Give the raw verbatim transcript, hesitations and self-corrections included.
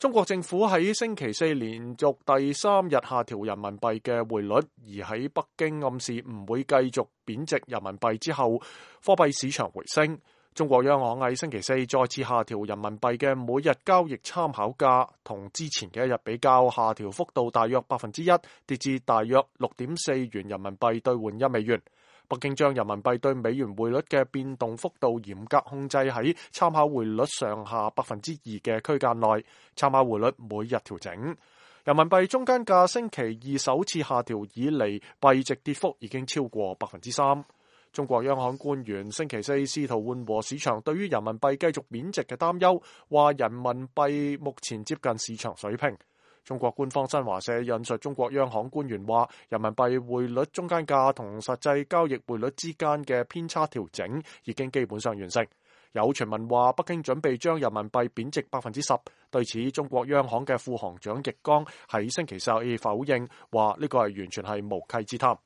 中國政府喺星期四連續第三日下調人民幣嘅匯率，而喺北京暗示唔會繼續貶值人民幣之後，貨幣市場回升。中國央行喺星期四再次下調人民幣嘅每日交易參考價，同之前嘅一日比較，下調幅度大約百分之一，跌至大約六點四元人民幣兌換一美元。北京將人民幣對美元匯率嘅變動幅度嚴格控制喺參考匯率上下百分之二嘅區間內，參考匯率每日調整。人民幣中間價星期二首次下調以嚟，幣值跌幅已經超過百分之三。中國央行官員星期四試圖緩和市場對於人民幣繼續貶值嘅擔憂，話人民幣目前接近市場水平。中國官方新華社引述中國央行官員話，人民幣匯率中間價同實際交易匯率之間嘅偏差調整已經基本上完成。有傳聞話北京準備將人民幣貶值百分之十，對此中國央行嘅副行長易綱喺星期四否認，話呢個係完全係無稽之談。